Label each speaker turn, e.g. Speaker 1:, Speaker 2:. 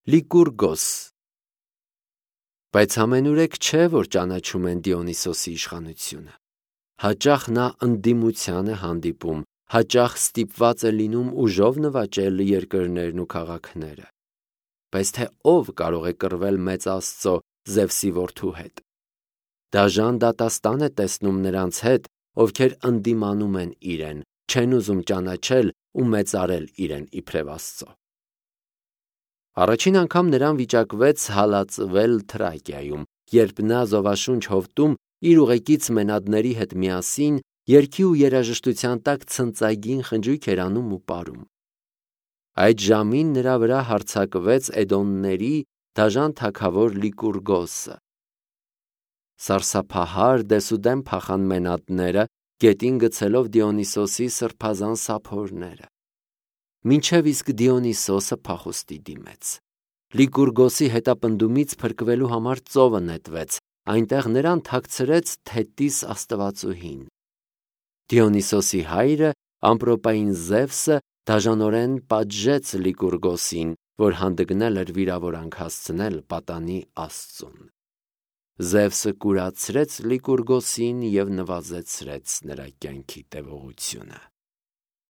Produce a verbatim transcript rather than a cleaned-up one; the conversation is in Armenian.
Speaker 1: Լիկուրգոս։ Բայց ամենուրեք չէ, որ ճանաչում են Դիոնիսոսի իշխանությունը։ Հաճախ նա ընդդիմության է հանդիպում, հաճախ ստիպված է լինում ուժով նվաճել երկրներն ու քաղաքները։ Բայց թե ով կարող է կռվել մեծ Աստծո Զևսի որդու հետ։ Դաժան դատաստան է տեսնում նրանց հետ, ովքեր ընդդիմանում են իրեն, չեն ուզում ճանաչել ու մեծարել իրեն իբրև Աստծո։ Առաջին անգամ նրան վիճակվեց հալածվել Թրակիայում, երբ նա զովաշունչ հովտում իր ուղեկից մենադների հետ միասին երգի ու երաժշտության տակ ցնծագին խնջույք էր անում ու պարում։ Այդ ժամին նրա վրա հարձակվեց Էդոմների դաժան թագավոր Լիկուրգոսը։ Սարսափահար դեսուդեն փախան մենադները, գետին գցելով Դիոնիսոսի սրբազան սափորները։ Մինչև իսկ Դիոնիսոսը փախուստի դիմեց։ Լիկուրգոսի հետապնդումից փրկվելու համար ծովը նետվեց, այնտեղ նրան թաքցրեց Թետիս աստվածուհին։ Դիոնիսոսի հայրը, ամպրոպային Զևսը, դաժանորեն պատժեց Լիկուրգոսին, որ հանդգնել էր վիրավորանք հասցնել պատանի Աստծուն։ Զևսը կուրացրեց Լիկուրգոսին և նվազեցրեց նրա կյանքի տևողությունը։